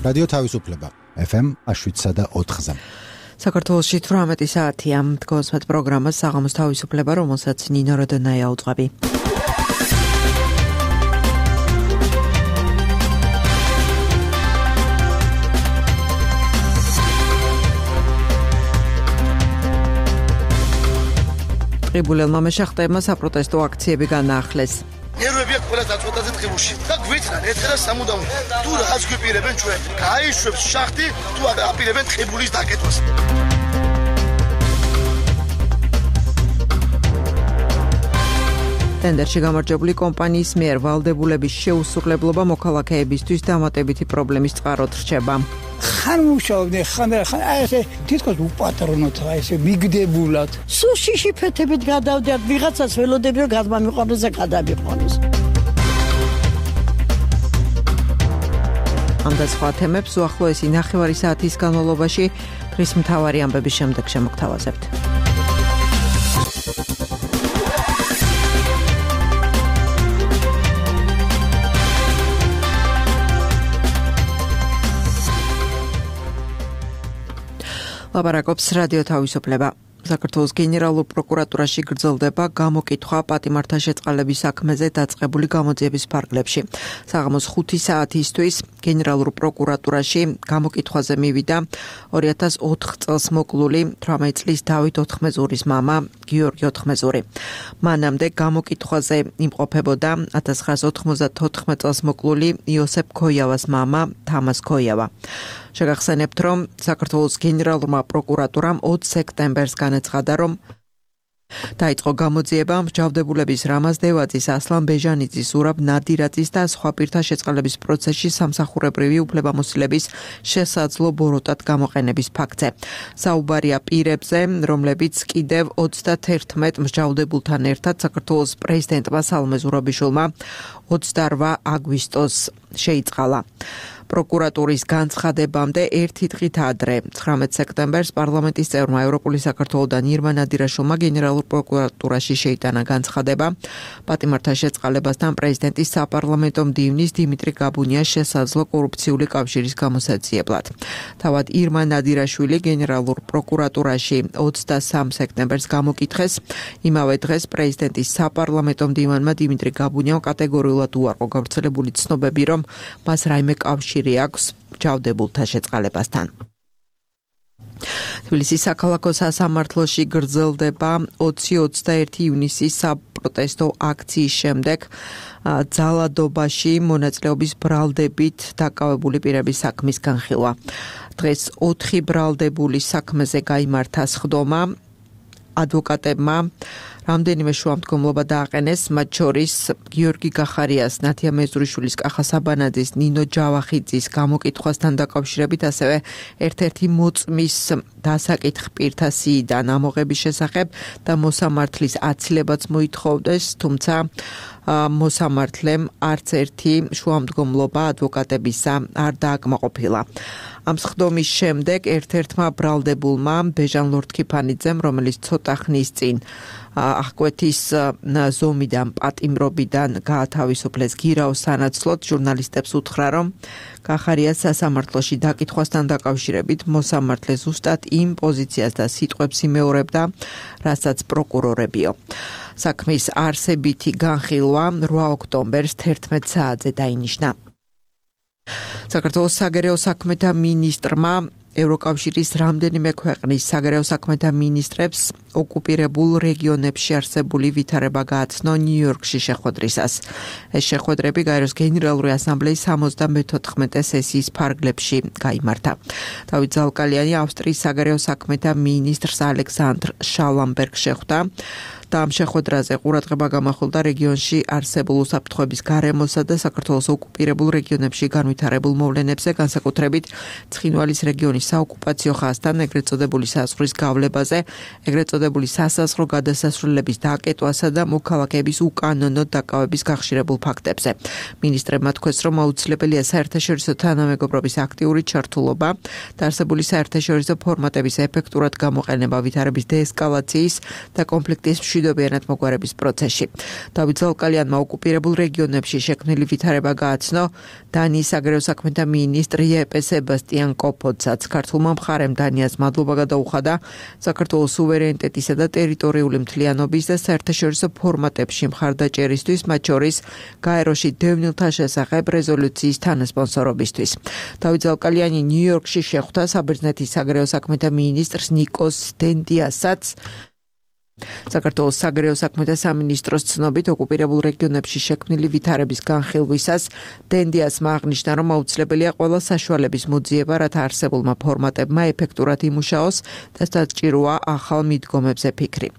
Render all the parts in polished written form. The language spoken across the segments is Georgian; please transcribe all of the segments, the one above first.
რადიო თავისუფლება FM 7.4-ზე. საქართველოში 18 საათია დგას მათ პროგრამას საღამოს თავისუფლება, რომელსაც ნინო როდონაია უძღვები. ყიბულელმა მეშახტეებმა საპროტესტო აქციები განაახლეს. ნერვები აქვს ყველა დაწყვეტაზე ტყიბულში და გვიწრან ერთხელ სამუდამოდ თუ რაღაც გვიპირებენ ჩვენ გაიშვებს შახტი თუ აპირებენ ტყიბულის დაკეთვას. ტენდერში გამარჯვებული კომპანიის მიერ ვალდებულების შეუსრულებლობა მოქალაქეებისთვის დამატებითი პრობლემის წყაროდ რჩება. ხან მუშაობდნენ, ხან ესე თითქოს უპატრონოთ, ესე მიგდებულად. სუშიში ფეთებით გადავდიათ, ვიღაცას ველოდები რომ გადმამიყვანოს და გადამიყვანოს. ამ და სხვა თემებს უახლოესი ნახევარი საათის განმავლობაში დღის მთავარი ამბების შემდეგ შემოგთავაზებთ. ლაპარაკობს რადიო თავისუფლება. საქართველოს გენერალურ პროკურატურაში გრძელდება გამოკითხვა პატიმართა შეწყალების საქმეზე დაწყებული გამოძიების ფარგლებში. საღამოს 5 საათისთვის გენერალურ პროკურატურაში გამოკითხვაზე მივიდა 2004 წელს მოკლული 18 წლის დავით ოთხმეზურის მამა გიორგი ოთხმეზური. მანამდე გამოკითხვაზე იმყოფებოდა 1994 წელს მოკლული იოსებ ქოიავას მამა თამას ქოიავა. შეგახსენებთ, რომ საქართველოს გენერალურმა პროკურატურამ 20 სექტემბერს განაცხადა, რომ დაიწყო გამოძიება მსჯავრდებულების რამაზ დევაძის, ასლან ბეჟანიძის, ზურაბ ნადირაძის და სხვა პირთა შეწყალების პროცესში სამსახურებრივი უფლებამოსილების შესაძლო ბოროტად გამოყენების ფაქტზე. საუბარია პირებზე, რომლებიც კიდევ 31 მსჯავრდებულთან ერთად საქართველოს პრეზიდენტმა სალომე ზურაბიშვილმა 28 აგვისტოს შეიწყალა. პროკურატურის განცხადებამდე ერთი დღით ადრე, 19 სექტემბერს პარლამენტის წევრმა ევროპული საქართველოდან ირმა ნადირაშვილმა გენერალურ პროკურატურაში შეიტანა განცხადება პატიმართა შეწყალებასთან პრეზიდენტის საპარლამენტო მდივნის დიმიტრი გაბუნიას შესაძლო კორუფციული კავშირის გამოსაძიებლად. თავად ირმა ნადირაშვილი გენერალურ პროკურატურაში 23 სექტემბერს გამოკითხეს. იმავე დღეს პრეზიდენტის საპარლამენტო მდივანმა დიმიტრი გაბუნიამ კატეგორიულად უარყო გავრცელებული ცნობები, რომ მას რაიმე კავშირი აქვს მსჯავრდებულთა შეწყალებასთან. თბილისის საქალაქო სასამართლოში გრძელდება 20-21 ივნისის საპროტესტო აქციის შემდეგ ძალადობაში მონაწილეობის ბრალდებით დაკავებული პირების საქმის განხილვა. დღეს 4 ბრალდებულის საქმეზე გაიმართა სხდომა. ადვოკატებმა რამდენიმე შუამდგომლობა დააყენეს, მათ შორის გიორგი გახარიას, ნათია მეზურიშვილის, კახა საბანაძის, ნინო ჯავახიძის გამოკითხვასთან დაკავშირებით, ასევე ერთ-ერთი მოწმის დასაკითხ პირთა სიიდან ამოღების შესახებ და მოსამართლის აცილებაც მოითხოვდეს, თუმცა მოსამართლემ არც ერთი შუამდგომლობა ადვოკატებისა არ დააკმაყოფილა. ამ სხდომის შემდეგ ერთ-ერთმა ბრალდებულმა ბეჟან ლორთქიფანიძემ, რომელიც ცოტა ხნის წინ აღკვეთის ზომიდან პატიმრობიდან გაათავისუფლეს გირაოს სანაცვლოდ, ჟურნალისტებს უთხრა, რომ გახარიას სასამართლოში დაკითხვასთან დაკავშირებით მოსამართლე ზუსტად იმ პოზიციას და სიტყვებს იმეორებდა, რასაც პროკურორებიო. საქმის არსებითი განხილვა 8 ოქტომბერს 11 საათზე დაინიშნა. საქართველოს საგარეო საქმეთა მინისტრმა ევროკავშირის რამდენიმე ქვეყნის საგარეო საქმეთა მინისტრებს ოკუპირებულ რეგიონებში არსებული ვითარება გააცნო ნიუ-იორკში შეხვედრისას. ეს შეხვედრები გაეროს გენერალური ასამბლეის 74 სესიის ფარგლებში გაიმართა. დავით ზალკალიანი ავსტრიის საგარეო საქმეთა მინისტრს ალექსანდრ შალამბერგს შეხვდა. და ამ შეხვედრაზე ყურადღება გამახვილდა რეგიონში არსებულ უსაფრთხოების გარემოსა და საქართველოს ოკუპირებულ რეგიონებში განვითარებულ მოვლენებზე, განსაკუთრებით ცხინვალის რეგიონის საოკუპაციო ხაზთან, ეგრეთ წოდებული საზღვრის გავლებაზე, ეგრეთ წოდებული სასაზღვრო გადასასვლელების დაკეტვასა და მოქალაქეების უკანონო დაკავების გახშირებულ ფაქტებზე. მინისტრებმა თქვეს, რომ აუცილებელია საერთაშორისო თანამეგობრობის აქტიური ჩართულობა და არსებული საერთაშორისო ფორმატების ეფექტურად გამოყენება ვითარების დეესკალაციის და კონფლიქტის მშვიდობიანად მოგვარების პროცესში. დავით ზალკალიანმა ოკუპირებულ რეგიონებში შექმნილი ვითარება გააცნო. დანიის საგარეო საქმეთა მინისტრ იეპე სებასტიან კოფოდსაც ქართულმა მხარემ დანიას მადლობა გადაუხადა საქართველოს სუვერენიტეტისა და ტერიტორიული მთლიანობის და საერთაშორისო ფორმატებში მხარდაჭერისთვის, მათ შორის გაეროში დევნილთა შესახებ რეზოლუციის თანასპონსორობისთვის. დავით ზალკალიანი ნიუ-იორკში შეხვდა საბერძნეთის საგარეო საქმეთა მინისტრს ნიკოს დენდიასაც. საქართველოს საგარეო საქმეთა სამინისტროს ცნობით ოკუპირებულ რეგიონებში შექმნილი ვითარების განხილვისას დენდიასმა აღნიშნა, რომ აუცილებელია ყველა საშუალების მოძიება, რათა არსებულმა ფორმატებმა ეფექტურად იმუშაოს და საჭიროა ახალ მიდგომებზე ფიქრი.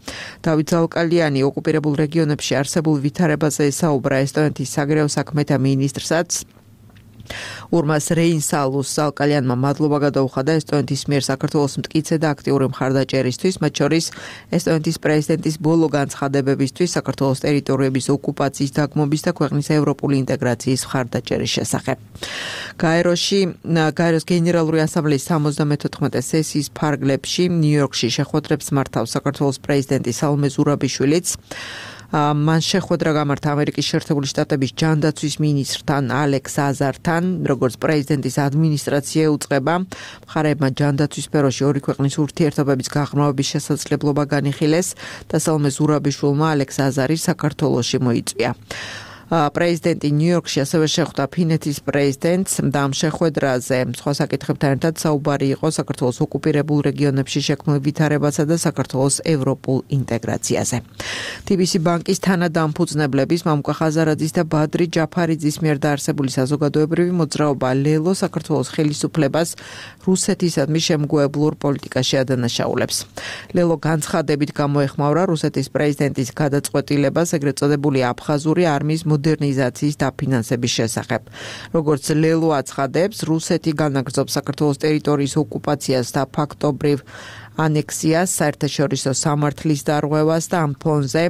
დავით ზალკალიანი ოკუპირებულ რეგიონებში არსებულ ვითარებაზე ესაუბრა ესტონეთის საგარეო საქმეთა მინისტრსაც. ურმას რეინსალუს ზალკალიანმა მადლობა გადაუხადა ესტონეთის მიერ საქართველოს მტკიცე და აქტიური მხარდაჭერისთვის, მათ შორის ესტონეთის პრეზიდენტის ბოლო განცხადებებისთვის საქართველოს ტერიტორიების ოკუპაციის დაგმობის და ქვეყნის ევროპული ინტეგრაციის მხარდაჭერის შესახებ. გაეროს გენერალური ასამბლეის 74 სესიის ფარგლებში ნიუ-იორკში შეხვედრებს მართავს საქართველოს პრეზიდენტი სალომე ზურაბიშვილიც. მან შეხვედრა გამართა ამერიკის შეერთებული შტატების ჯანდაცვის მინისტრთან ალექს აზართან, როგორც პრეზიდენტის ადმინისტრაცია უწყება. მხარეებმა ჯანდაცვის სფეროში ორი ქვეყნის ურთიერთობების გაღრმავების შესაძლებლობა განიხილეს და სალომე ზურაბიშვილმა ალექს აზარი საქართველოში მოიწვია. პრეზიდენტი ნიუ-იორკში ასევე შეხვდა ფინეთის პრეზიდენტს და ამ შეხვედრაზე სხვა საკითხებთან ერთად საუბარი იყო საქართველოს ოკუპირებულ რეგიონებში შექმნილ ვითარებასა და საქართველოს ევროპულ ინტეგრაციაზე. TBC ბანკის თანადამფუძნებლების მამუკა ხაზარაძის და ბადრი ჯაფარიძის მიერ დაარსებული საზოგადოებრივი მოძრაობა ლელო საქართველოს ხელისუფლებას რუსეთისადმი შემგუებლურ პოლიტიკაში ადანაშაულებს. ლელო განცხადებით გამოეხმაურა რუსეთის პრეზიდენტის გადაწყვეტილებას ეგრეთ წოდებული აფხაზური არმიის მოდერნიზაციის დაფინანსების შესახებ. როგორც ლელო აცხადებს, რუსეთი განაგრძობს საქართველოს ტერიტორიის ოკუპაციას და ფაქტობრივ ანექსიას, საერთაშორისო სამართლის დარღვევას და ამ ფონზე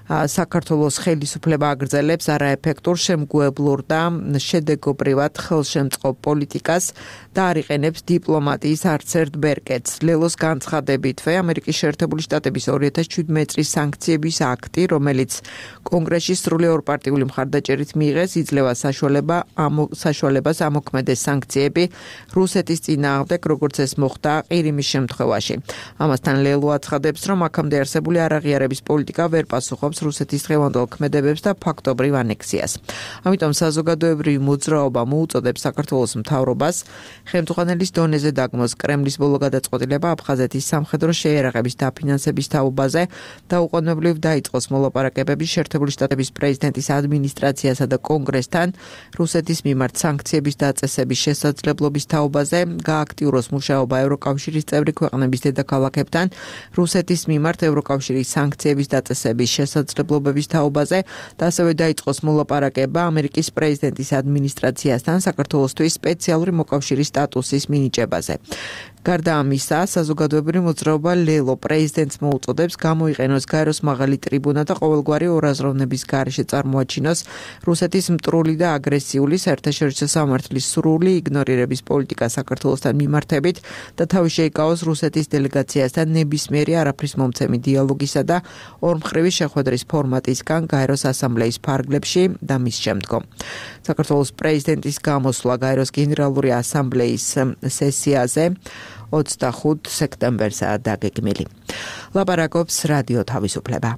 საქართველოს ხელისუფლება აგრძელებს არაეფექტურ, შემგუებლურ და შედეგობრივად ხელშემწყობ პოლიტიკას და არ იყენებს დიპლომატიის არცერთ ბერკეტს. ლელოს განცხადებითვე ამერიკის შეერთებული შტატების 2017 წლის სანქციების აქტი, რომელიც კონგრესში სრული ორპარტიული მხარდაჭერით მიიღეს, იძლევა საშუალებას ამოქმედეს სანქციები რუსეთის წინააღმდეგ, როგორც ეს მოხდა ყირიმის შემთხვევაში. ამასთან ლელო აცხადებს, რომ აქამდე არსებული არაღიარების პოლიტიკა ვერ პასუხობს რუსეთის დღევანდელ ქმედებებს და ფაქტობრივ ანექსიას. ამიტომ საზოგადოებრივი მოძრაობა მოუწოდებს საქართველოს მთავრობას ხელმძღვანელის დონეზე დაგმოს კრემლის ბოლო გადაწყვეტილება აფხაზეთის სამხედრო შეიარაღების დაფინანსების თაობაზე და უყოვნებლივ დაიწყოს მოლაპარაკებები შეერთებული შტატების პრეზიდენტის ადმინისტრაციასა და კონგრესთან რუსეთის მიმართ სანქციების დაწესების შესაძლებლობის თაობაზე, გააქტიუროს მუშაობა ევროკავშირის წევრი ქვეყნების დედაქალაქებთან რუსეთის მიმართ ევროკავშირის სანქციების დაწესების შესაძლებლობების თაობაზე და ასევე დაიწყოს მოლაპარაკება ამერიკის პრეზიდენტის ადმინისტრაციასთან საქართველოსთვის სპეციალური მოკავშირის სტატუსის მინიჭებაზე. გარდა ამისა, საზოგადოებრივი მოძრაობა ლელო პრეზიდენტს მოუწოდებს გამოიყენოს გაეროს მაღალი ტრიბუნა და ყოველგვარი ორაზროვნების გარეშე წარმოაჩინოს რუსეთის მტრული და აგრესიული საერთაშორისო სამართლის სრული იგნორირების პოლიტიკა საქართველოსთან მიმართებით და თავი შეიკავოს რუსეთის დელეგაციასთან ნებისმიერი არაფრის მომცემი დიალოგისა და ორმხრივი შეხვედრის ფორმატისგან გაეროს ასამბლეის ფარგლებში და მის შემდგომ. საქართველოს პრეზიდენტის გამოსვლა გაეროს გენერალური ასამბლეის სესიაზე 25 სექტემბერზაა დაგეგმილი. ლაპარაკობს რადიო თავისუფლება.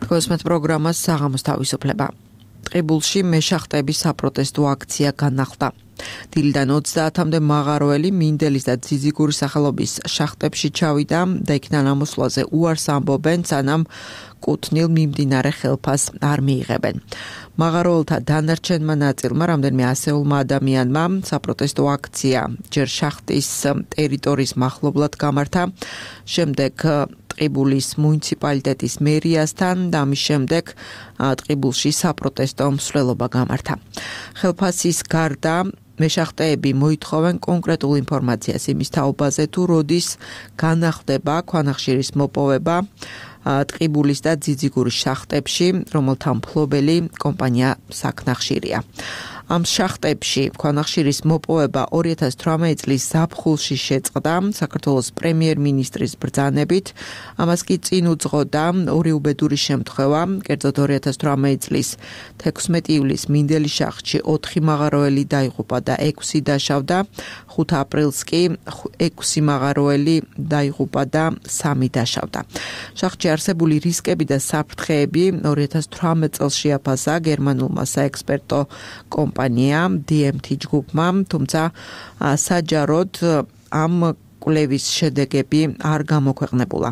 თქოსმეთ პროგრამას საღამოს თავისუფლება. ტყიბულში მეშახტების საპროტესტო აქცია განახლდა. დილიდან 30-მდე მაღაროელი მინდელის და ძიძიგურის სახელობის შახტებში ჩავიდა და იქნა ნამოსვლაზე უარს ამბობენ, სანამ კუთვნილ მიმდინარე ხელფას არ მიიღებენ. მაღაროელთა დანარჩენმა ნაწილმა, რამდენიმე ასეულმა ადამიანმა საპროტესტო აქცია ჯერ შახტის ტერიტორიის მახლობლად გამართა, შემდეგ ტყიბულის მუნიციპალიტეტის მერიასთან და ამის შემდეგ ტყიბულში საპროტესტო მსვლელობა გამართა. ხელფასის გარდა მეშახტეები მოითხოვენ კონკრეტულ ინფორმაციას იმის თაობაზე, თუ როდის განახლდება ქვანახშირის მოპოვება ტყიბულის და ძიძიგურის შახტებში, რომელთა მფლობელი კომპანია საქნახშირია. ამ შახტებში ქვანახშირის მოპოვება 2018 წლის ზაფხულში შეწყდა საქართველოს პრემიერ-მინისტრის ბრძანებით. ამას კი წინ უძღოდა ორი უბედური შემთხვევა, კერძოდ 2018 წლის 16 ივლისს მინდელის შახტში 4 მაღაროელი დაიღუპა და 6 დაშავდა, 5 აპრილს კი 6 მაღაროელი დაიღუპა და 3 დაშავდა. შახტში არსებული რისკები და საფრთხეები 2018 წელს შეაფასა გერმანულმა საექსპერტო კომპანიამ DMT ჯგუფმა, თუმცა საჯაროდ ამ კვლევის შედეგები არ გამოქვეყნებულა.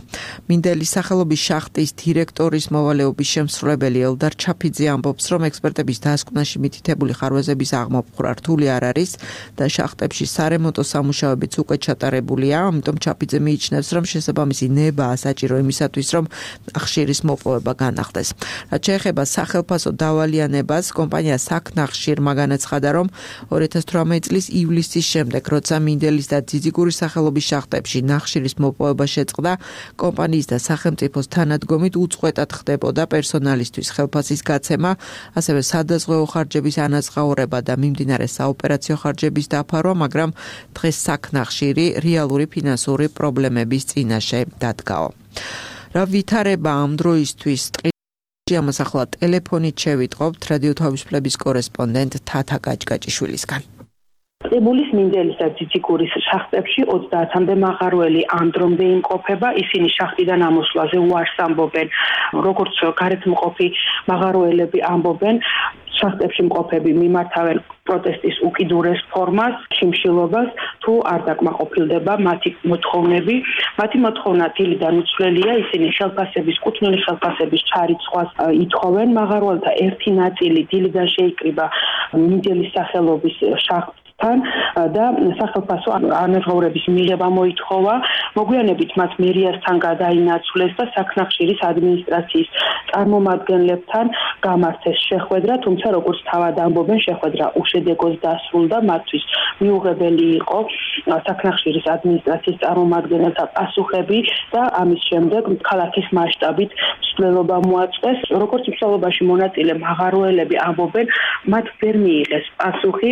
მინდელის სახელობის შახტის დირექტორის მოვალეობის შემსრულებელი ელდარ ჩაფიძე ამბობს, რომ ექსპერტების დასკვნაში მითითებული ხარვეზების აღმოფხვრა რთული არ არის და შახტებში სარემონტო სამუშაოებიც უკვე ჩატარებულია, ამიტომ ჩაფიძე მიიჩნევს, რომ შესაბამისი ნებაა საჭირო იმისათვის, რომ ხშირის მოპოვება განახდეს. რაც შეეხება სახელფასო დავალიანებას, კომპანია საქნახშირმა განაცხადა, რომ 2018 წლის ივლისის შემდეგ, როცა მინდელის და ძიძიგურის სახელობის შახტებში ნახშირის მოპოვება შეწყდა, კომპანიის და სახელმწიფოს თანადგომით უწყვეტად ხდებოდა პერსონალისთვის ხელფასის გაცემა, ასევე სადაზღვეო ხარჯების ანაზღაურება და მიმდინარე საოპერაციო ხარჯების დაფარვა, მაგრამ დღეს საქნახშირი რეალური ფინანსური პრობლემების წინაშე დადგაო. რა ვითარება ამ დროისთვის ამას ახლა ტელეფონით შევიტყობთ რადიო თავისუფლების კორესპონდენტ თათა გაჭგაჭიშვილისგან. ტყიბულის მინდელის და ძიძიგურის შახტებში 30-მდე მაღაროელი ამ დრომდე იმყოფება, ისინი შახტიდან ამოსვლაზე უარს ამბობენ, როგორც გარეთმყოფი მაღაროელები ამბობენ, შახტებში მყოფები მიმართავენ პროტესტის უკიდურეს ფორმას, შიმშილობას, თუ არ დაკმაყოფილდება მათი მოთხოვნები. მათი მოთხოვნა დილიდან უცვლელია, ისინი ხელფასების, კუთვნილი ხელფასების ჩარიცხვას ითხოვენ. მაღაროელთა ერთი ნაწილი დილიდან შეიკრიბა მინდელის სახელობის შახტს და სახელფასო ანაზღაურების მიღება მოითხოვა. მოგვიანებით მათ მერიასთან გადაინაცვლეს და საქნახშირის ადმინისტრაციის წარმომადგენლებთან გამართეს შეხვედრა, თუმცა როგორც თავად ამბობენ, შეხვედრა უშედეგოდ დასრულდა. მათთვის მიუღებელი იყო საქნახშირის ადმინისტრაციის წარმომადგენელთა პასუხები და ამის შემდეგ ქალაქის მასშტაბით მსვლელობა მოაწყვეს. როგორც მსვლელობაში მონაწილე მაღაროელები ამბობენ, მათ ვერ მიიღეს პასუხი,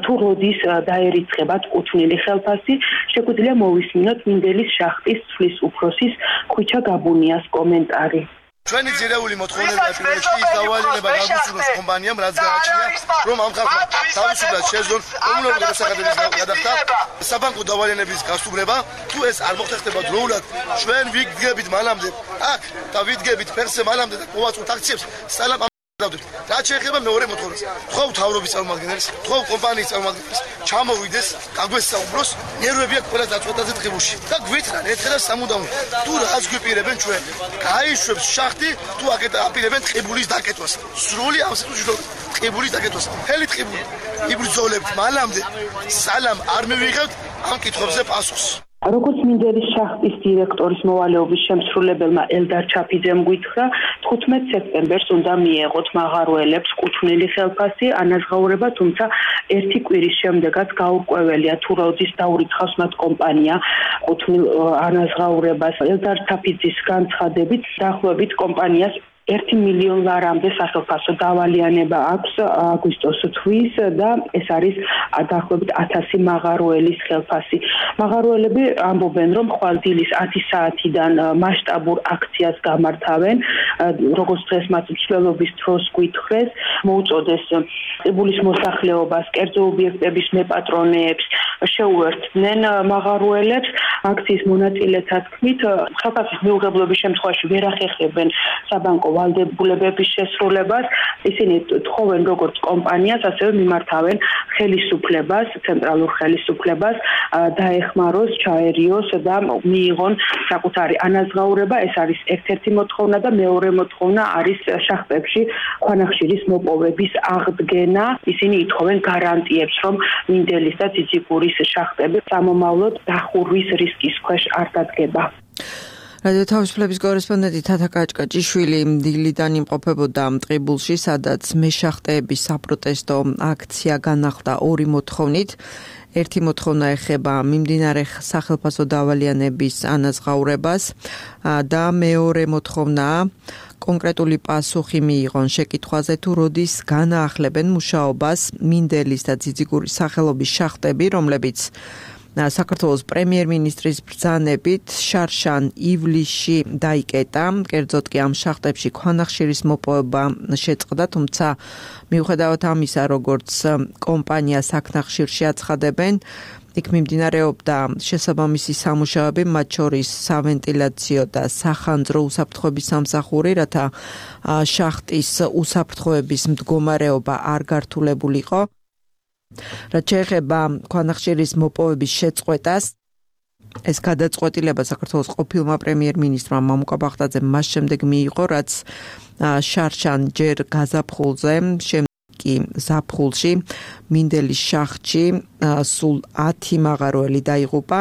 თუ დაერიცხებათ კუთვნილი ხელფასი, შეგვიძლია მოვისმინოთ მინდელის შახტის ცვლის უფროსის ხვიჩა გაბუნიას კომენტარი. ჩვენი ძირეული მოთხოვნები პირველში ის დავალიანება გაგუცნოს კომპანიამ, რაც გააჩნია, რომ ამ ხალხმა თავისუფლად შეძლონ კომუნალური გადასახადების გადახდა საბანკო დავალიანების გასტუმრება. თუ ეს არ მოხერხდება დროულად, ჩვენ ვიდგებით მანამდე აქ და ვიდგებით ფერსე მანამდე და მოვაწვოთ აქციებს სალამ რაც შეეხება მეორე მოთხოვნას, თხოვ თავრობის წარმომადგენელს, თხოვ კომპანიის წარმომადგენელს, ჩამოვიდეს, გაგვესაუბროს, ნერვები აქვს ყველა დაწყვეტაზე ტყიბულში და გვითხრან ერთხელ და სამუდამოდ, თუ რაღაც გვიპირებენ ჩვენ, გაიშვებს შახტი, თუ აპირებენ ტყიბულის დაკეტვას. სრული ამ სიტუაციაში ტყიბულის დაკეტვას. მთელი ტყიბული იბრძოლებთ მანამდე, სალამ არ მივიღებთ ამ კითხვებზე პასუხს. როგორც მინდელის შახტის დირექტორის მოვალეობის შემსრულებელმა ელდარ ჩაფიძემ გითხრა, 15 სექტემბერს უნდა მიეღოთ მაღაროელებს კუთვნილი ხელფასი ანაზღაურება, თუმცა ერთი კვირის შემდეგაც გაურკვეველია, თუ როდის დაურიცხავს მათ კომპანია კუთვნილ ანაზღაურებას. ელდარ ჩაფიძის განცხადებით, დაახლოებით კომპანიას 1 მილიონ ლარამდე სახელფასო დავალიანება აქვს აგვისტოს თვის და ეს არის დაახლოებით 1000 მაღაროელის ხელფასი. მაღაროელები ამბობენ, რომ ხვალ დილის 10 საათიდან მასშტაბურ აქციას გამართავენ, როგორც დღეს მათ მსვლელობის დროს გითხრეს, მოუწოდეს ტყიბულის მოსახლეობას, კერძო ობიექტების მეპატრონეებს, შეუერთდნენ მაღაროელებს. აქციის მონაწილეთა თქმით, ხელფასის მიუღებლობის შემთხვევაში ვერ ახერხებენ საბანკო ვალდებულებების შესრულებას. ისინი თხოვენ როგორც კომპანიას, ასევე მიმართავენ ხელისუფლებას, ცენტრალურ ხელისუფლებას, დაეხმაროს, ჩაერიოს და მიიღონ საკუთარი ანაზღაურება. ეს არის ერთ-ერთი მოთხოვნა და მეორე მოთხოვნა არის შახტებში ქვანახშირის მოპოვების აღდგენა. ისინი ითხოვენ გარანტიებს, რომ მინდელის და ძიძიგურის შახტები სამომავლოდ დახურვის რისკის ქვეშ არ დადგება. რადიო თავისუფლების კორესპონდენტი თათა გაჭგაჭიშვილი დილიდან იმყოფებოდა ტყიბულში, სადაც მეშახტეების საპროტესტო აქცია განახლდა ორი მოთხოვნით. ერთი მოთხოვნა ეხება მიმდინარე სახელფასო დავალიანების ანაზღაურებას და მეორე მოთხოვნა კონკრეტული პასუხი მიიღონ შეკითხვაზე თუ როდის განაახლებენ მუშაობას მინდელის და ძიძიგურის სახელობის შახტები, რომლებიც საქართველოს პრემიერ-მინისტრის ბრძანებით შარშან ივლისში დაიკეტა. კერძოდ კი ამ შახტებში ქვანახშირის მოპოვება შეწყდა, თუმცა მიუხედავად ამისა, როგორც კომპანია საქნახშირში აცხადებენ, იქ მიმდინარეობდა შესაბამისი სამუშაოები, მათ შორის სავენტილაციო და სახანძრო უსაფრთხოების სამსახური, რათა შახტის უსაფრთხოების მდგომარეობა არ გართულებულიყო. რაც შეეხება ქვანახშირის მოპოვების შეწყვეტას, ეს გადაწყვეტილება საქართველოს ყოფილმა პრემიერ-მინისტრმა მამუკა ბახტაძემ მას შემდეგ მიიღო, რაც შარშან ჯერ გაზაფხულზე, კი ზაფხულში მინდელის შახტში სულ 10 მაღაროელი დაიღუპა.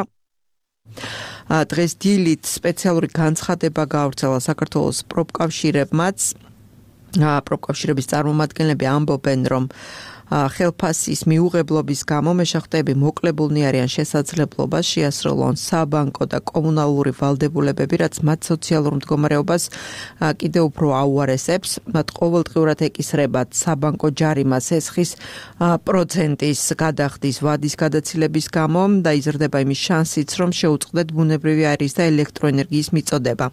დღეს დილით სპეციალური განცხადება გაავრცელა საქართველოს პროფკავშირებმაც. პროფკავშირების წარმომადგენლები ამბობენ, რომ ხელფასის მიუღებლობის გამო მეშახტეები მოკლებულნი არიან შესაძლებლობას შეასრულონ საბანკო და კომუნალური ვალდებულებები, რაც მათ სოციალურ მდგომარეობას კიდევ უფრო აუარესებს. მათ ყოველდღიურად ეკისრებათ საბანკო ჯარიმა სესხის პროცენტის გადახდის ვადის გადაცილების გამო და იზრდება იმის შანსიც, რომ შეუწყდეთ ბუნებრივი აირის და ელექტროენერგიის მიწოდება.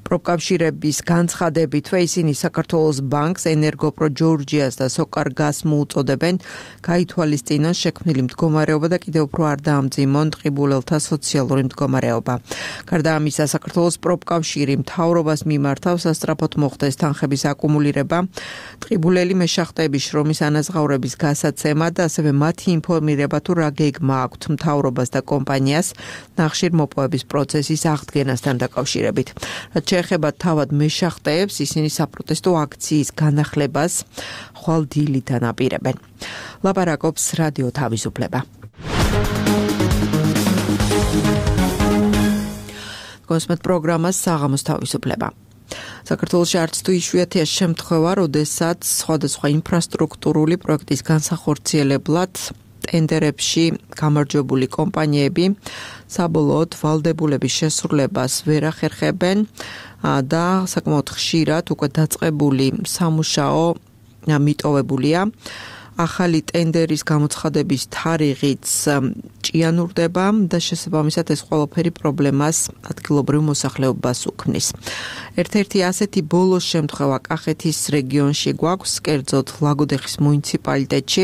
პროფკავშირების განცხადებითვე ისინი საქართველოს ბანკს, ენერგოპრო ჯორჯიას და სოკარგას მოუწოდებენ გაითვალისწინონ შექმნილი მდგომარეობა და კიდევ უფრო არ დაამძიმონ ტყიბულელთა სოციალური მდგომარეობა. გარდა ამისა, საქართველოს პროფკავშირი მთავრობას მიმართავს სასწრაფოდ მოხდეს თანხების აკუმულირება, ტყიბულელი მეშახტეების შრომის ანაზღაურების გასაცემა და ასევე მათი ინფორმირება თუ რა გეგმა აქვთ მთავრობას და კომპანიას ნახშირ მოპოვების პროცესის აღდგენასთან დაკავშირებით. რაც შეეხება თავად მეშახტეებს, ისინი საპროტესტო აქციის განახლებას ხვალ დილით ანაპირებენ. ლაპარაკობს რადიო თავისუფლება. კონსმეთ პროგრამას საღამოს თავისუფლება. საქართველოში არც თუ იშვიათია შემთხვევა, როდესაც სხვადასხვა ინფრასტრუქტურული პროექტის განსახორციელებლად ტენდერებში გამარჯვებული კომპანიები საბოლოოდ ვალდებულების შესრულებას ვერ ახერხებენ და საკმაოდ ხშირად უკვე დაწყებული სამუშაო მიტოვებულია. ახალი ტენდერის გამოცხადების თარიღიც ჭიანურდება და შესაბამისად ეს ყველაფერი პრობლემას ადგილობრივ მოსახლეობას უქმნის. ერთ-ერთი ასეთი ბოლოს შემთხვევა კახეთის რეგიონში გვაქვს, კერძოდ ლაგოდეხის მუნიციპალიტეტში,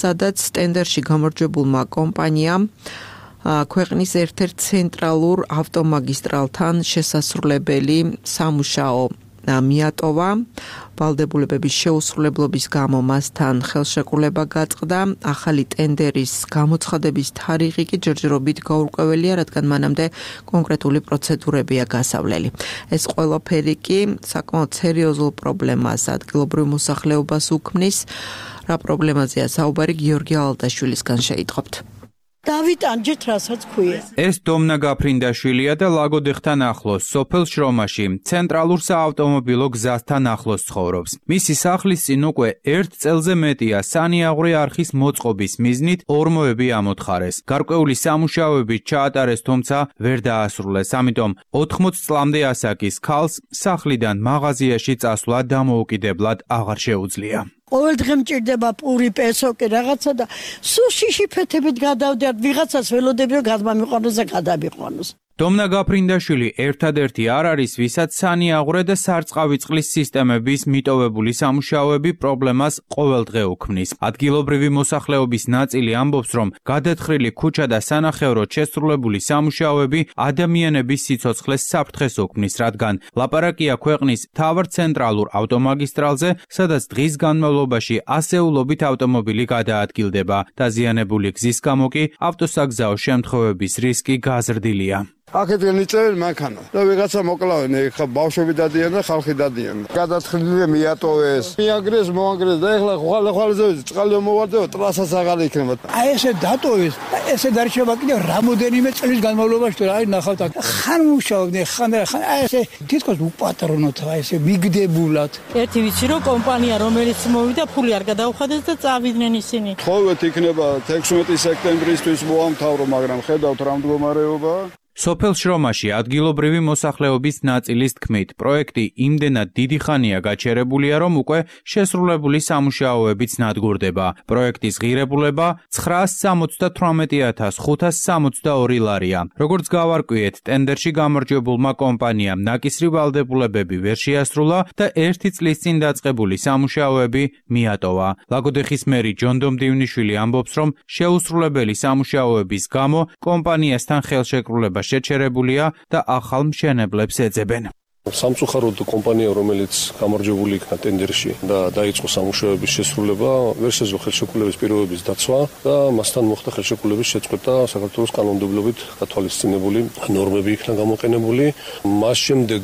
სადაც ტენდერში გამარჯვებულმა კომპანიამ ქვეყნის ერთ-ერთ ცენტრალურ ავტომაგისტრალთან შესასრულებელი სამუშაო მიატოვა. ვალდებულებების შეუსრულებლობის გამო მასთან ხელშეკრულება გაწყდა. ახალი ტენდერის გამოცხადების თარიღი კი ჯერჯერობით გაურკვეველია, რადგან მანამდე კონკრეტული პროცედურებია გასავლელი. ეს ყველაფერი კი საკმაოდ სერიოზულ პრობლემას ადგილობრივ მოსახლეობას უქმნის. რა პრობლემაზეა საუბარი გიორგი ალდაშვილისგან შეიტყობთ. დავით ანჯეთ რასაც ქვია. ეს დომნა გაფრინდაშვილია და ლაგოდეხთან ახლოს, სოფელ შრომაში, ცენტრალურ საავტომობილო გზასთან ახლოს ცხოვრობს. მისი სახლის წინ უკვე 1 წელზე მეტია სანიაღვრე არხის მოწყობის მიზნით ორმოები ამოთხარეს. გარკვეული სამუშაოები ჩაატარეს, თუმცა ვერ დაასრულეს. ამიტომ 80 წლამდე ასაკის ქალს სახლიდან მაღაზიაში წასვლა დამოუკიდებლად აღარ შეუძლია. ყოველ დღე მჭირდება პური, პესოკი, რაღაცა და სულ შიშიფეთებით გადავდიათ, ვიღაცას ველოდები რომ გადმამიყვანოს და გადამიყვანოს. დომნა გაფრინდაშვილი ერთადერთი არ არის, ვისაც სანიაღვრე და სარწყავი წყლის სისტემების მიტოვებული სამუშაოები პრობლემას ყოველდღე უქმნის. ადგილობრივი მოსახლეობის ნაწილი ამბობს, რომ გადათხრილი ქუჩა და სანახევროდ შესრულებული სამუშაოები ადამიანების სიცოცხლეს საფრთხეს უქმნის, რადგან ლაპარაკია ქვეყნის მთავარ ცენტრალურ ავტომაგისტრალზე, სადაც დღის განმავლობაში ასეულობით ავტომობილი გადაადგილდება. დაზიანებული გზის გამო კი ავტოსაგზაო შემთხვევების რისკი გაზრდილია. აქედან იწერენ მანქანა და ვიღაცა მოკლავენ, ეხლა ბავშვები დადიან და ხალხი დადიან. გადათხრილი მიატოვეს, მიაგრეს, მოანგრეს და ეხლა ხვალ-ხვალზე წყალი მოვარდება, ტრასაც აღარ იქნება. აი ესე დატოვეს, ესე დარჩება კიდევ რამოდენიმე წლის განმავლობაში, თუ აი ნახავთ, ხან მუშაობდნენ, ხან აი ესე თითქოს უპატრონოთ, აი ესე მიგდებულად. ერთი ვიცი რომ კომპანია რომელიც მოვიდა, ფული არ გადაუხადეს და წავიდნენ ისინი. თხოვეთ იქნება 16 სექტემბრისთვის მოამთავრო, მაგრამ ხედავთ რა მდგომარეობა. სოფელ შრომაში ადგილობრივი მოსახლეობის ნაწილის თქმით, პროექტი იმდენად დიდი ხანია გაჩერებულია, რომ უკვე შესრულებული სამუშაოებიც ნადგურდება. პროექტის ღირებულება 978.562 ლარია. როგორც გავარკვიეთ, ტენდერში გამარჯვებულმა კომპანიამ ნაკისრი ვალდებულებები ვერ შეასრულა და 1 წლის წინ დაწყებული სამუშაოები მიატოვა. ლაგოდეხის მერი ჯონდო მდივნიშვილი ამბობს, რომ შეუსრულებელი სამუშაოების გამო კომპანიასთან ხელშეკრულება შეჩერებულია და ახალ მშენებლებს ეძებენ. სამწუხაროდ კომპანია, რომელიც გამარჯვებული იქნა ტენდერში და დაიწყო სამუშაოების შესრულება, ვერ შეძლო ხელშეკრულების პირობების დაცვა და მასთან მოხდა ხელშეკრულების შეწყვეტა საქართველოს კანონმდებლობით გათვალისწინებული ნორმები იქნა გამოყენებული. მას შემდეგ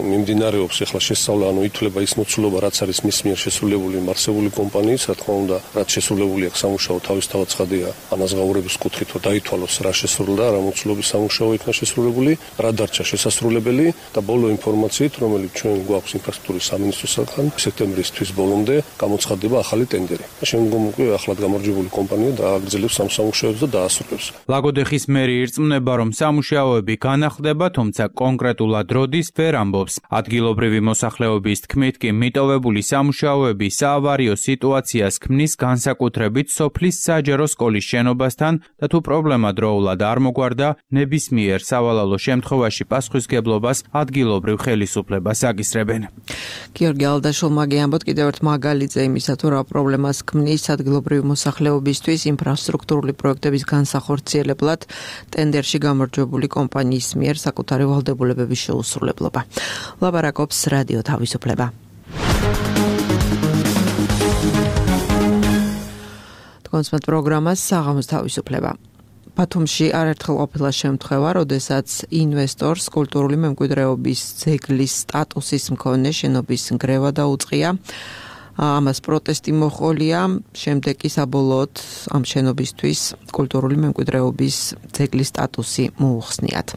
მიმდინარეობს ახლა შესწავლა, ითვლება ის მოცულობა, რაც არის მის მიერ შესრულებული მარსეული კომპანიის, რა თქმა უნდა, რაც შესრულებული აქვს სამუშაო თავისთავად ცხადია ანაზღაურების კუთხით, რომ დაითვალოს რა შესრულდა, რა მოცულობის სამუშაო იქნა შესრულებული, რა დარჩა შესასრულებელი და ბოლო ინფორმაცია რომელიც ჩვენ გვაქვს ინფრასტრუქტურის სამინისტროსგან სექტემბრის თვის ბოლომდე გამოცხადდება ახალი ტენდერი. შემდგომ უკვე ახლად გამარჯვებული კომპანია დააგრძელებს ამ სამუშაოებს და დაასრულებს. ლაგოდეხის მერი ირწმუნება, რომ სამუშაოები განახლდება, თუმცა კონკრეტულად როდის ვერ ამბობს. ადგილობრივი მოსახლეობის თქმით კი მიტოვებული სამუშაოები საავარიო სიტუაციას ქმნის განსაკუთრებით სოფლის საჯარო სკოლის შენობასთან და თუ პრობლემა დროულად არ მოგვარდა, ნებისმიერ სავალალო შემთხვევაში პასუხისგებლობას ადგილობრივ ხელისუფლებას აკისრებენ. გიორგი ალდაშულმა გეამბოთ კიდევ ერთ მაგალითზე იმისა, თუ რა პრობლემას ქმნის ადგილობრივი მოსახლეობისთვის ინფრასტრუქტურული პროექტების განსახორციელებლად ტენდერში გამარჯვებული კომპანიის მიერ საკუთარი ვალდებულებების შეუსრულებლობა. ლაპარაკობს რადიო თავისუფლება. თქვენს პროგრამას საღამოს თავისუფლება. ბათუმში არაერთხელ ყოფილა შემთხვევა, როდესაც ინვესტორს კულტურული მემკვიდრეობის ძეგლის სტატუსის მქონე შენობის ნგრევა დაუწყია. ამას პროტესტი მოჰყოლია, შემდეგ კი საბოლოოდ ამ შენობისთვის კულტურული მემკვიდრეობის ძეგლის სტატუსი მოუხსნიათ.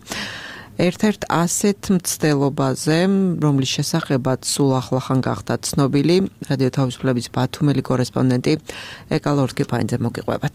ერთ-ერთ ასეთ მცდელობაზე, რომლის შესახებაც სულ ახლახან გახდა ცნობილი, რადიო თავისუფლების ბათუმელი კორესპონდენტი ეკალორთკი ფაინძე მოგიყვებათ.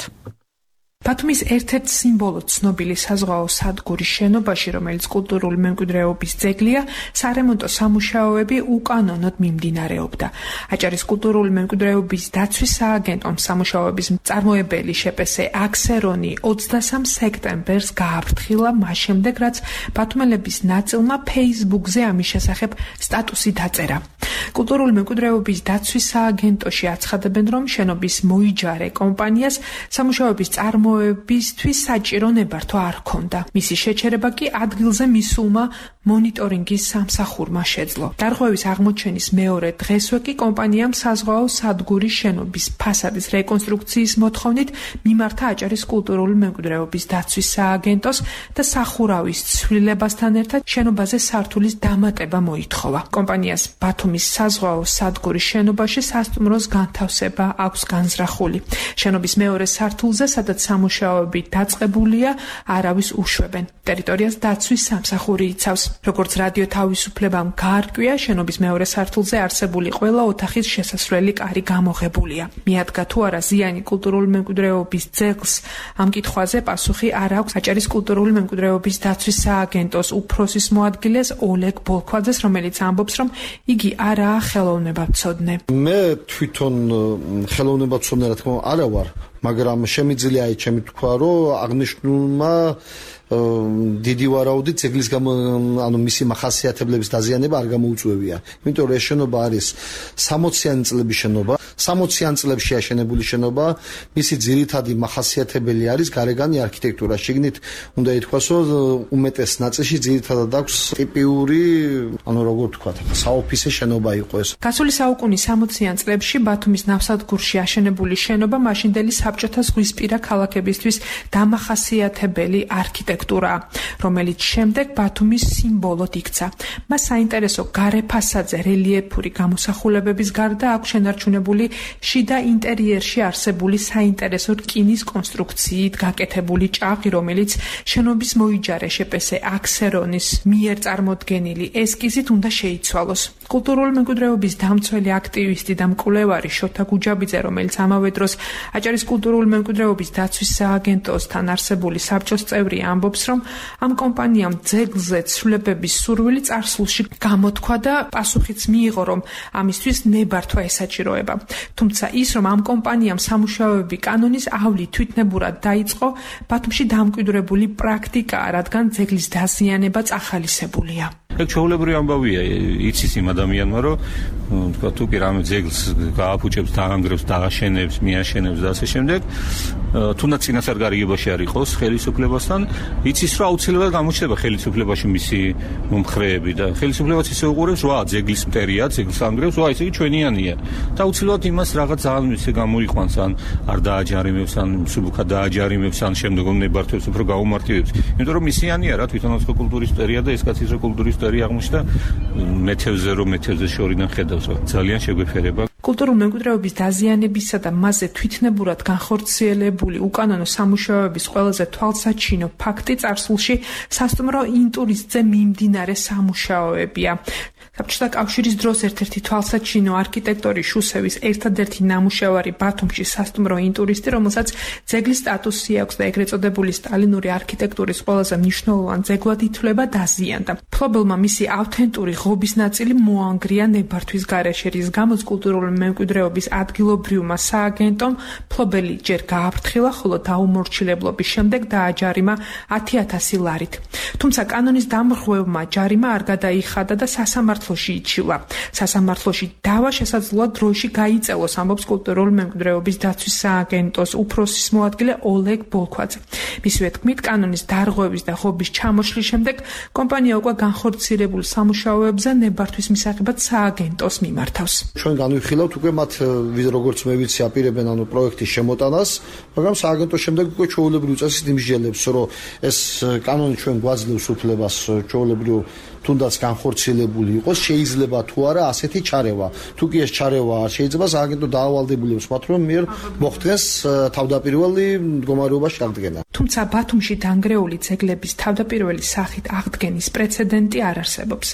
ბათუმის ერთ-ერთ სიმბოლო ცნობილი საზღვაო სადგურის შენობაში, რომელიც კულტურული მემკვიდრეობის ძეგლია, სარემონტო სამუშაოები უკანონოდ მიმდინარეობდა. აჭარის კულტურული მემკვიდრეობის დაცვის სააგენტომ სამუშაოების მწარმოებელი შპს აქსერონი 23 სექტემბერს გააფრთხილა, მას შემდეგ, რაც ბათუმელების ნაწილმა Facebook-ზე ამის შესახებ სტატუსი დაწერა. კულტურული მემკვიდრეობის დაცვის სააგენტოში აცხადებენ, რომ შენობის მოიჯარე კომპანიას სამუშაოების წარმოებისთვის საჭირო ნებართვა არ ჰქონდა. მისი შეჩერება კი ადგილზე მისულმა მონიტორინგის სამსახურმა შეძლო. დარღვევის აღმოჩენის მეორე დღესვე კი კომპანიამ საზღვაო სადგურის შენობის ფასადის რეკონსტრუქციის მოთხოვნით მიმართა აჭარის კულტურული მემკვიდრეობის დაცვის სააგენტოს და სახურავის ცვლილებასთან ერთად შენობაზე სართულის დამატება მოითხოვა. კომპანიას ბათუმის საზღვაო სადგურის შენობაში სასტუმროს განთავსება აქვს განზრახული. შენობის მეორე სართულზე, სადაც სამუშაოები დაწყებულია, არავის უშვებენ. ტერიტორიას დაცვის სამსახური იცავს. როგორც რადიო თავისუფლებამ გაარკვია, შენობის მეორე სართულზე არსებული ყველა ოთახის შესასვლელი კარი გამოღებულია. მიადგა თუ არა ზიანი კულტურული მემკვიდრეობის ძეგლს, ამ კითხვაზე პასუხი არ აქვს აჭარის კულტურული მემკვიდრეობის დაცვის სააგენტოს უფროსის მოადგილეს ოლეგ ბოლქვაძეს, რომელიც ამბობს, რომ იგი არაა ხელოვნებაცოდნე. მე თვითონ ხელოვნებაცოდნე რა თქმა უნდა არა ვარ, მაგრამ შემიძლია ჩემი თქვა, რომ აღნიშნულმა დიდი ვარაუდით ძეგლის მისი მახასიათებლების დაზიანება არ გამოუწვევია. იმიტომ რომ ეს შენობა არის 60-იანი წლების შენობა, 60-იან წლებში აშენებული შენობა, მისი ძირითადი მახასიათებელი არის გარეგანი არქიტექტურა. შიგნით უნდა ითქვას, რომ უმეტეს ნაწილში ძირითადად აქვს ტიპიური, როგორ ვთქვათ, საოფისე შენობა იყო ეს. გასული საუკუნის 60-იან წლებში ბათუმის ნავსადგურში აშენებული შენობა მაშინდელი საბჭოთა ზღვისპირა ქალაქებისთვის დამახასიათებელი არქიტექტურა, რომელიც შემდეგ ბათუმის სიმბოლოდ იქცა. მას საინტერესო გარე ფასადზე რელიეფური გამოსახულებების გარდა აქვს შენარჩუნებული შიდა ინტერიერში არსებული საინტერესო რკინის კონსტრუქციით გაკეთებული ჭაღი, რომელიც შენობის მოიჯარე შპს აქსერონის მიერ წარმოდგენილი ესკიზით უნდა შეიცვალოს. კულტურული მემკვიდრეობის დამცველი აქტივისტი და მკვლევარი შოთა გუჯაბიძე, რომელიც ამავე დროს აჭარის კულტურული მემკვიდრეობის დაცვის სააგენტოსთან არსებული საბჭოს წევრი, ამბობს, რომ ამ კომპანიამ ძეგლზე ცვლილებების სურვილი წარსულში გამოთქვა და პასუხიც მიიღო, რომ ამისთვის ნებართვა ესაჭიროება. თუმცა ის, რომ ამ კომპანიამ სამუშაოები კანონის ავლით თვითნებურად დაიწყო, ბათუმში დამკვიდრებული პრაქტიკაა, რადგან ძეგლის დაზიანება წახალისებულია. ეგ ჩვეულებრივი ამბავია, იცის იმ ადამიანმა, რომ თქვა თუ კი რამე ძეგლს გააფუჭებს, დაანგრევს, დააშენებს, მიაშენებს და ასე შემდეგ, თუნდაც წინასწარ გარიგებაში არ იყოს ხელისუფლებასთან, იცის რომ აუცილებლად გამოჩნდება ხელისუფლებაში მისი მომხრეები და ხელისუფლებაც ისე უყურებს, ვა, ძეგლის მტერია, ძეგლს ანგრევს, ვა, ესე იგი ჩვენიანია. და აუცილებლად იმას რაღაც ძალიან ისე გამოიყვანს, ან არ დააჯარიმებს, ან მსუბუქად დააჯარიმებს, ან შემდგომ ნებართვებს, უფრო გაუმარტივებს. იმიტომ რომ ისიანია რა, თვითონაც კულტურის მტერია და ეს კაც ის კულტურის მტერი აღმოჩნდა მეთევზე შორიდან ხედავს, რა ძალიან შეგვეფერება. კულტურული მემკვიდრეობის დაზიანებისა და მასზე თვითნებურად განხორციელებული უკანონო სამუშაოების ყველაზე თვალსაჩინო ფაქტი წარსულში სასტუმრო ინტურისტზე მიმდინარე სამუშაოებია. საბჭოთა კავშირის დროს ერთ-ერთი თვალსაჩინო არქიტექტორი შუსევის ერთადერთი ნამუშევარი ბათუმში სასტუმრო ინტურისტი, რომელსაც ძეგლის სტატუსი აქვს და ეგრეთ წოდებული სტალინური არქიტექტურის ყველაზე მნიშვნელოვან ძეგლად ითვლება, დაზიანდა. მფლობელმა მისი ავთენტური ღობის ნაწილი მოანგრია ნებართვის გარეშე, რის გამოც კულტურული მემკვიდრეობის ადგილობრივმა სააგენტომ მფლობელი ჯერ გააფრთხილა, ხოლო დაუმორჩილებლობის შემდეგ დააჯარიმა 10,000 ლარით. თუმცა კანონის დამრღვევმა ჯარიმა არ გადაიხადა და სასამართლოში იჩილა. სასამართლოში დავა შესაძლოა დროში გაიწელოს, ამბობს კულტურული მემკვიდრეობის დაცვის სააგენტოს უფროსის მოადგილე ოლეგ ბოლქვაძე. მისივე თქმით, კანონის დარღვევის და ღობის ჩამოშლის შემდეგ კომპანია უკვე განხორციელებულ სამუშაოებზე ნებართვის მისაღებად სააგენტოს მიმართავს. ჩვენ განვიხილავთ უკვე მათ როგორც მე ვიცი აპირებენ პროექტის შემოტანას, მაგრამ სააგენტოს შემდეგ უკვე ჩვეულებრივ წესით იმსჯელებს, რომ ეს კანონი ჩვენ გვაძლევს უფლებას ჩვეულებრივ თუნდაც განხორციელებული იყოს, შეიძლება თუ არა ასეთი ჩარევა. თუ კი ეს ჩარევა არ შეიძლება, სააგენტო დაავალდებულებს მათ, რომ მიერ მოხდეს თავდაპირველი მდგომარეობაში აღდგენა. თუმცა ბათუმში დანგრეული ძეგლების თავდაპირველი სახით აღდგენის პრეცედენტი არ არსებობს.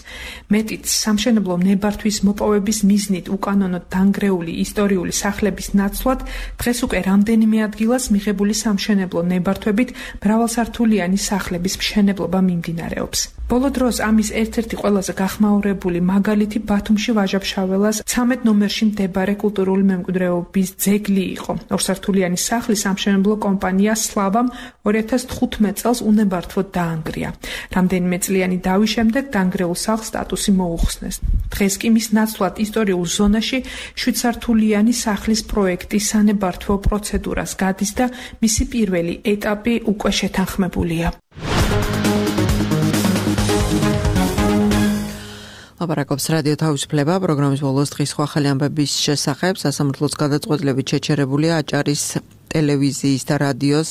მეტიც, სამშენებლო ნებართვის მოპოვების მიზნით უკანონოდ დანგრეული ისტორიული სახლების ნაცვლად დღეს უკვე რამდენიმე ადგილას მიღებული სამშენებლო ნებართვებით მრავალსართულიანი სახლების მშენებლობა მიმდინარეობს. ბოლო დროს ამის ერთ-ერთი ყველაზე გახმაურებული მაგალითი ბათუმში ვაჟა-ფშაველას 13 ნომერში მდებარე კულტურული მემკვიდრეობის ძეგლი იყო. ორსართულიანი სახლის სამშენებლო კომპანია სლავამ 2015 წელს უნებართვოდ დაანგრია. რამდენიმე წლიანი დავის შემდეგ დანგრეულ სახლს სტატუსი მოუხსნეს. დღეს კი მის ნაცვლად ისტორიულ ზონაში 7 სართულიანი სახლის პროექტი სანებართვო პროცედურას გადის და მისი პირველი ეტაპი უკვე შეთანხმებულია. ლაპარაკობს რადიო თავისუფლება, პროგრამის ბოლოს დღის ახალი ამბების შესახებ. სასამართლოს გადაწყვეტილებით შეჩერებულია აჭარის ტელევიზიის და რადიოს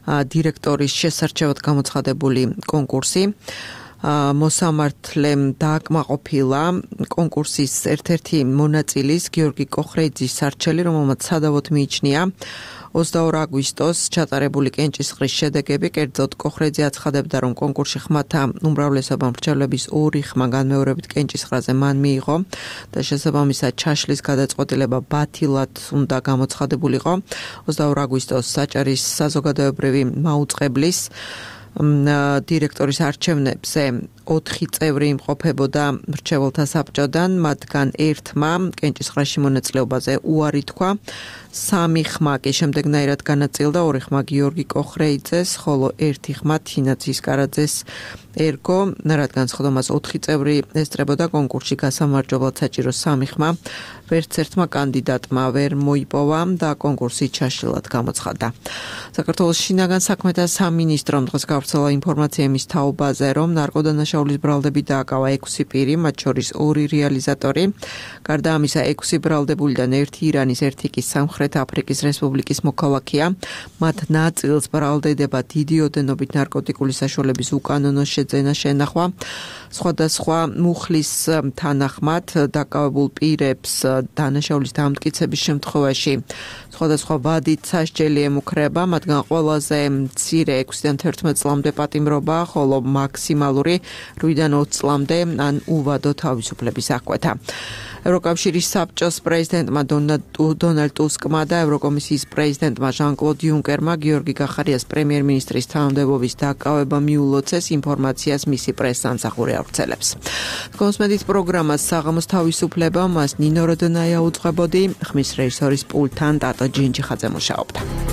დირექტორის შესარჩევად გამოცხადებული კონკურსი. მოსამართლემ დააკმაყოფილა კონკურსის ერთ-ერთი მონაწილის გიორგი კოხრეიძის სარჩელი, რომელმაც სადავოდ მიიჩნია 22 აგვისტოს ჩატარებული კენჭისყრის შედეგები. კერძოდ კოხრეიძე აცხადებდა, რომ კონკურსში ხმათა უმრავლესობა მრჩევლების 2 ხმა განმეორებით კენჭისყრაზე მან მიიღო და შესაბამისად ჩაშლის გადაწყვეტილება ბათილად უნდა გამოცხადებულიყო. 22 აგვისტოს აჭარის საზოგადოებრივი მაუწყებლის დირექტორის არჩევნებზე 4 წევრი იმყოფებოდა მრჩეველთა საბჭოდან, მათგან 1-მა კენჭისყრაში მონაწილეობაზე უარი თქვა, 3 ხმა კი შემდეგნაირად განაწილდა, 2 ხმა გიორგი კოხრეიძეს, ხოლო 1 ხმა თინა ცისკარაძეს ერგო, რადგან სხდომას 4 წევრი ესწრებოდა კონკურსში გასამარჯვებლად საჭირო 3 ხმა ვერც ერთმა კანდიდატმა ვერ მოიპოვა და კონკურსი ჩაშლილად გამოცხადდა. საქართველოს შინაგან საქმეთა სამინისტრომ დღეს გავრცელა ინფორმაცია იმის თაობაზე, რომ ნარკოდანაშაულის ბრალდებით დააკავა 6 პირი, მათ შორის 2 რეალიზატორი. გარდა ამისა, 6 ბრალდებულიდან 1 ირანის, 1 კი სამხრეთ აფრიკის რესპუბლიკის მოქალაქეა. მათ ნაწილს ბრალდებება დიდი ოდენობით ნარკოტიკული საშუალების უკანონო შეძენა შენახვა. სხვადასხვა მუხლის თანახმად დაკავებულ პირებს დანაშაულის დამტკიცების შემთხვევაში სხვადასხვა ვადით სასჯელი ემუქრება, მათგან ყველაზე მცირე 6-დან 11 წლამდე პატიმრობა, ხოლო მაქსიმალური 8-დან 20 წლამდე ან უვადო თავისუფლების აღკვეთა. ევროკავშირის საბჭოს პრეზიდენტმა დონალდ ტუსკმა და ევროკომისიის პრეზიდენტმა ჟან-კლოდ იუნკერმა გიორგი გახარიას პრემიერ-მინისტრის თანამდებობის დაკავება მიულოცეს ინფორმაციას მისი პრესსამსახური ავრცელებს. კონსმედით პროგრამას საღამოს თავისუფლება მას ნინო როდონაია უძღვებოდი, ხმის რეჟისორის პულტთან ტატო ჯინჯიხაძე მუშაობდა.